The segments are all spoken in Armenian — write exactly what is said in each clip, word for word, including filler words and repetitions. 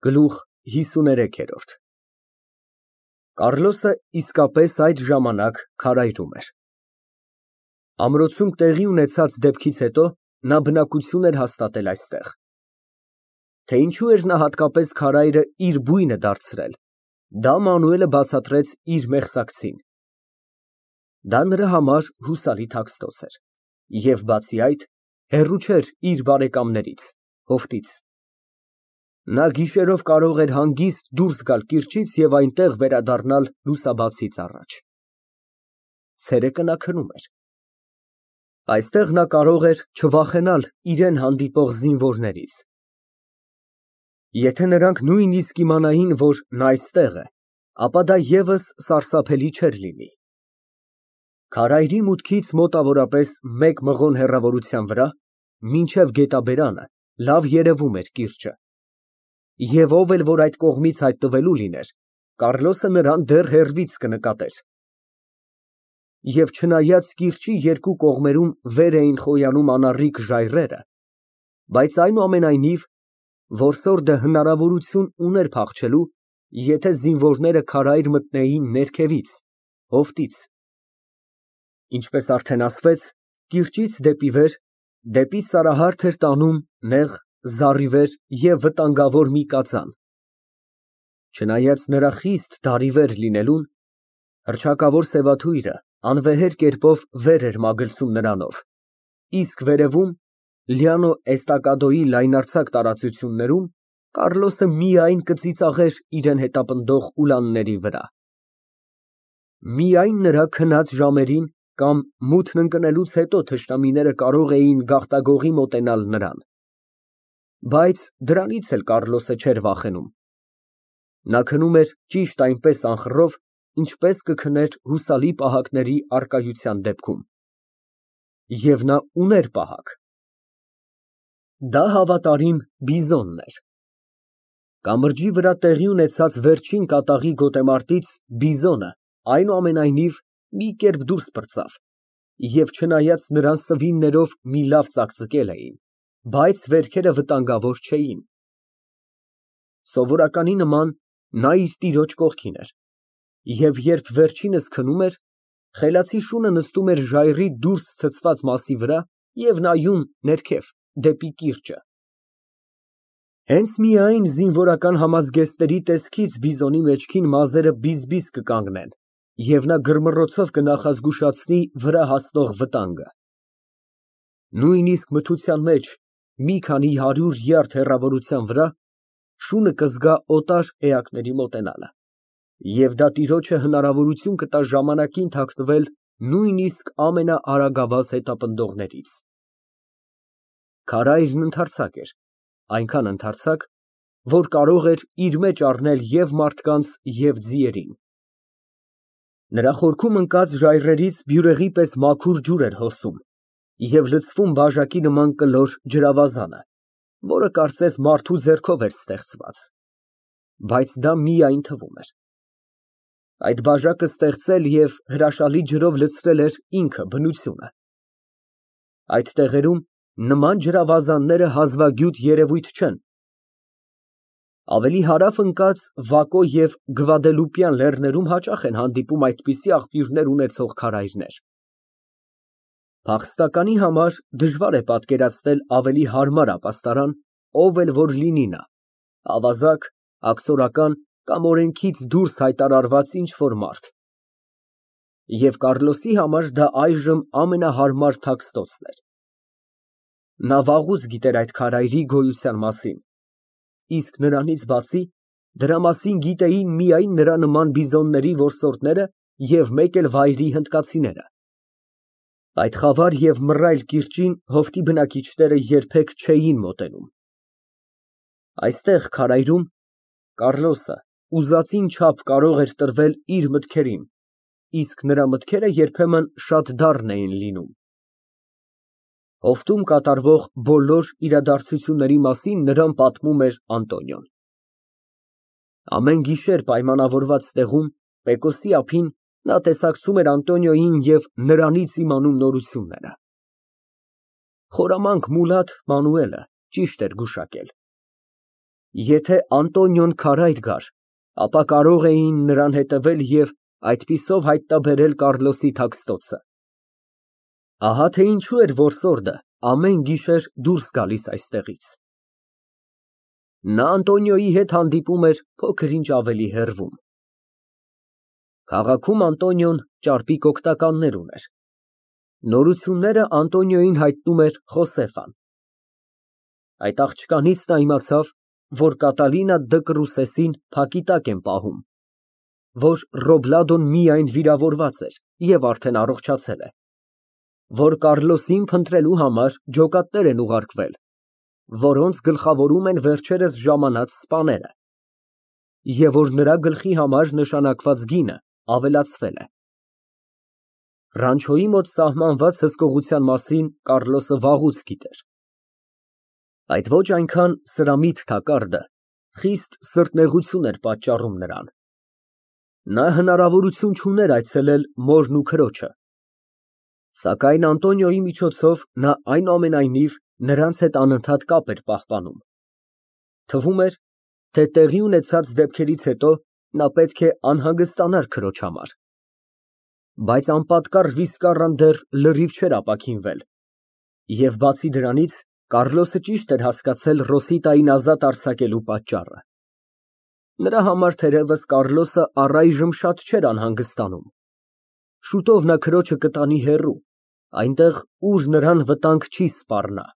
Գլուխ հիսուներեք։ Կառլոսը իսկապես այդ ժամանակ քարայրում էր։ Ամրոցում տեղի ունեցած դեպքից հետո նա բնակություն էր հաստատել այստեղ։ Թե ինչու էր նա հատկապես քարայրը իր բույնը դարձրել, դա Մանուելը բացատրեց իր մեղսակցին։ Դա նրա համար հուսալի թաքստոց էր և, բացի այդ, հեռու չէր իր բարեկամներից, հովտից։ Նա գիշերով կարող էր հանգիստ դուրս գալ կիրճից և այնտեղ վերադառնալ լուսաբացից առաջ։ Ցերեկը նա քնում էր։ Այստեղ նա կարող էր չվախենալ իրան հանդիպող զինվորներից։ Եթե նրանք նույնիսկ իմանային, որ նա այստեղ է, ապա դա ևս սարսափելի չէր լինի։ Քարայրի մուտքից մոտավորապես մեկ մղոն հեռավորության վրա, մինչև գետաբերանը, լավ երևում էր կիրճը, և ով էլ որ այդ կողմից հայտնվելու լիներ, Կառլոսը նրան դեռ հեռվից կնկատեր։ Եվ չնայած կիրճի երկու կողմերում վեր էին խոյանում անառիկ ժայռերը, բայց այնուամենայնիվ որսորդը հնարավորություն ուներ փախչելու, եթե զինվորները քարայր մտնեին ներքևից, հովտից։ Ինչպես արդեն ասվեց, կիրճից դեպի վեր, դեպի Սարահարթ էր տանում նեղ, զառիվեր և վտանգավոր մի կածան։ Չնայած նրա խիստ դարիվեր լինելուն, հռչակավոր սևաթույրը անվեհեր կերպով վեր էր մագլցում նրանով, իսկ վերևում, Լիանո Էստակադոյի լայնարձակ տարածություններում, Կառլոսը միայն կծիծաղեր իրան հետապնդող ուլանների վրա։ Միայն նրա քնած ժամերին կամ մութն ընկնելուց հետո թշնամիները կարող էին գաղտագողի մոտենալ նրան։ Բայց դրանից էլ Կառլոսը չէր վախենում։ Նա քնում էր ճիշտ այնպես անխռով, ինչպես կքներ հուսալի պահակների առկայության դեպքում։ Եվ նա ուներ պահակ։ Դա հավատարիմ Բիզոնն էր։ Կամրջի վրա տեղի ունեցած վերջին կատաղի գոտեմարտից Բիզոնը, այնուամենայնիվ, մի կերպ դուրս պրծավ, և չնայած նրան սվիններով մի լավ ծակծկել էին, բայց վերքերը վտանգավոր չէին։ Սովորականի նման նա իր տիրոջ կողքին էր, և երբ վերջինս քնում էր, խելացի շունը նստում էր ժայռի դուրս ցցված մասի վրա և նայում ներքև, դեպի կիրճը։ Հենց միայն զինվորական համազգեստների տեսքից Բիզոնի մեջքին մազերը բիզ֊բիզ կկանգնեն, և նա գրմռոցով կնախազգուշացնի վրա հասնող վտանգը։ Նույնիսկ մթության մեջ, մի քանի հարյուր յարդ հեռավորության վրա, շունը կզգա օտար էակների մոտենալը, և դա տիրոջը հնարավորություն կտա ժամանակին թաքնվել նույնիսկ ամենաարագավազ հետապնդողներից։ Քարայրն ընդարձակ էր, այնքան ընդարձակ, որ կարող էր իր մեջ առնել և մարդկանց, և ձիերին։ Նրա խորքում ընկած ժայռերից բյուրեղի պես մաքուր ջուր էր հոսում և լցվում բաժակի նման կլոր ջրավազանը, որը կարծես մարդու ձեռքով էր ստեղծված, բայց դա միայն թվում էր։ Այդ բաժակը ստեղծել և հրաշալի ջրով լցրել էր ինքը բնությունը։ Այդ տեղերում նման ջրավազանները հազվագյուտ երևույթ չեն։ Ավելի հարավ ընկած Վակո և Գվադելուպյան լեռներում հաճախ են հանդիպում այդպիսի աղբյուրներ ունեցող քարայրներ։ Փախստականի համար դժվար է պատկերացնել ավելի հարմար ապաստարան, ով էլ որ լինի նա՝ ավազակ, աքսորական կամ օրենքից դուրս հայտարարված ինչ֊որ մարդ։ Եվ Կառլոսի համար դա այժմ ամենահարմար թաքստոցն էր։ Նա վաղուց գիտեր այդ քարայրի գոյության մասին, իսկ նրանից բացի, դրա մասին գիտեին միայն նրա նման բիզոնների որսորդները և մեկ էլ վայրի հնդկացիները։ Այդ խավար և մռայլ կիրճին հովտի բնակիչները երբեք չէին մոտենում։ Այստեղ քարայրում Կառլոսը ուզածին չափ կարող էր տրվել իր մտքերին, իսկ նրա մտքերը երբեմն շատ դառն էին լինում։ Հովտում կատարվող բոլոր իրադարձությունների մասին նրան պատմում էր Անտոնիոն։ Ամեն գիշեր պայմանավորված տեղում, Պեկոսի ափին, նա տեսակցում էր Անտոնիոյին և նրանից իմանում նորությունները։ Խորամանկ մուլատ Մանուելը ճիշտ էր գուշակել։ Եթե Անտոնիոն քարայր գար, ապա կարող էին նրան հետևել և այդպիսով հայտնաբերել Կառլոսի թաքստոցը։ Ահա թե ինչու էր որսորդը ամեն գիշեր դուրս գալիս այստեղից։ Նա Անտոնիոյի հետ հանդիպում էր փոքր-ինչ ավելի հեռվում։ Քաղաքում Անտոնիոն ճարպիկ օգնականներ ուներ։ Նորությունները Անտոնիոյին հայտնում էր Խոսեֆան։ Այդ աղջկանից նա իմացավ, որ Կատալինա Դ'Կրուսեսին փակի տակ են պահում, որ Ռոբլադոն միայն վիրավորված էր և արդեն առողջացել է, որ Կառլոսին փնտրելու համար ջոկատներ են ուղարկվել, որոնց գլխավորում են վերջերս ժամանած սպաները, և որ նրա գլխի համար նշանակված գինը ավելացվել է։ Ռանչոյի մոտ սահմանված հսկողության մասին Կառլոսը վաղուց գիտեր։ Այդ ոչ այնքան սրամիտ թակարդը խիստ սրտնեղություն էր պատճառում նրան։ Նա հնարավորություն չուներ այցելել մորն ու քրոջը, սակայն Անտոնիոյի միջոցով նա այնուամենայնիվ նրանց հետ անընդհատ կապ էր պահպանում։ Թվում էր, թե տեղի ունեցած դեպքերից հետո նա պետք է անհանգստանար քրոջ համար։ Բայց անպատկառ վիսկառան դեռ լրիվ չէր ապաքինվել, և բացի դրանից, Կառլոսը ճիշտ էր հասկացել Ռոսիտային ազատ արձակելու պատճառը։ Նրա համար թերևս Կառլոսը առայժմ շատ չէր անհանգստանում։ Շուտով նա քրոջը կտանի հեռու, այնտեղ, ուր նրան վտանգ չի սպառնա։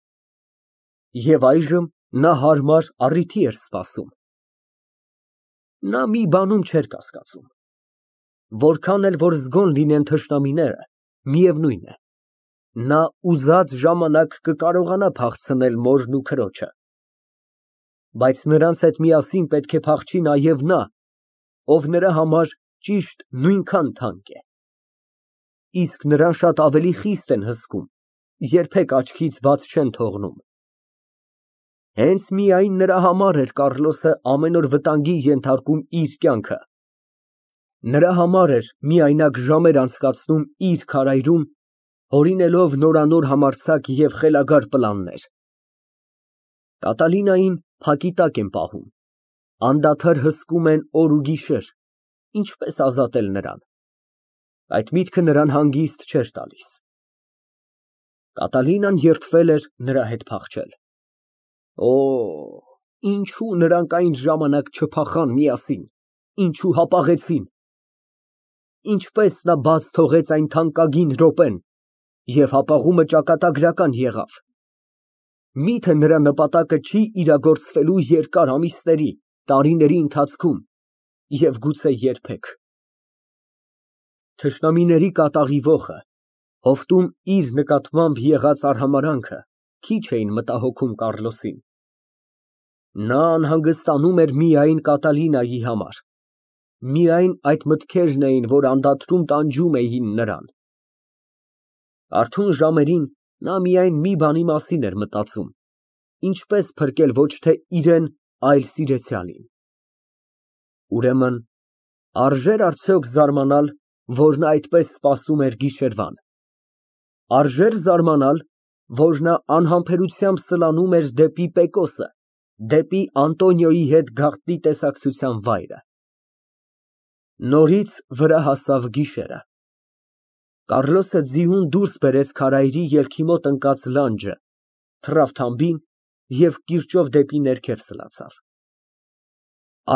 Եվ այժմ նա հարմար առիթի էր սպասում։ Նա մի բանում չէր կասկածում. որքան էլ որ զգոն լինեն թշնամիները, միևնույն է, նա ուզած ժամանակ կկարողանա փախցնել մորն ու քրոջը։ Բայց նրանց հետ միասին պետք է փախչի նաև նա, ով նրա համար ճիշտ նույնքան թանկ է։ Իսկ նրան շատ ավելի խիստ են հսկում, երբեք աչքից բաց չեն թողնում։ Հենց միայն նրա համար էր Կառլոսը ամեն օր վտանգի ենթարկում իր կյանքը։ Նրա համար էր միայնակ ժամեր անցկացնում իր քարայրում, հորինելով նորանոր համարձակ և խելագար պլաններ։ Կատալինային փակի տակ են պահում, անդադար հսկում են օր ու գիշեր, ինչպես ազատել նրան։ Այդ միտքը նրան հանգիստ չէր տալիս։ Կատալինան երդվել էր նրա հետ փախչել։ Օ, ինչու նրանք այն ժամանակ չփախան միասին, ինչու հապաղեցին։ Ինչպես նա բաց թողեց այն թանկագին րոպեն, և հապաղումը ճակատագրական եղավ։ Միթե նրա նպատակը չի իրագործվելու երկար ամիսների, տարիների ընթացքում և գուցե երբեք։ Թշնամիների կատաղի ոխը, հովտում իր նկատմամբ եղած արհամարհանքը քիչ էին մտահոգում Կառլոսին։ Նա անհանգստանում էր միայն Կատալինայի համար։ Միայն այդ մտքերն էին, որ անդադրում տանջում էին նրան։ Արթուն ժամերին նա միայն մի բանի մասին էր մտածում. ինչպես փրկել ոչ թե իրեն, այլ սիրեցյալին։ Ուրեմն, արժե՞ր արդյոք զարմանալ, որ նա այդպես սպասում էր գիշերվան։ Արժե՞ր զարմանալ, որ նա անհամբերությամբ սլանում էր դեպի Պեկոսը, դեպի Անտոնիոյի հետ գաղտնի տեսակցության վայրը։ Նորից վրա հասավ գիշերը։ Կառլոսը ձիուն դուրս բերեց քարայրի ելքի մոտ ընկած լանջը, թռավ թամբին և կիրճով դեպի ներքև սլացավ։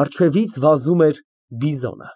Առջևից վազում էր բիզոնը։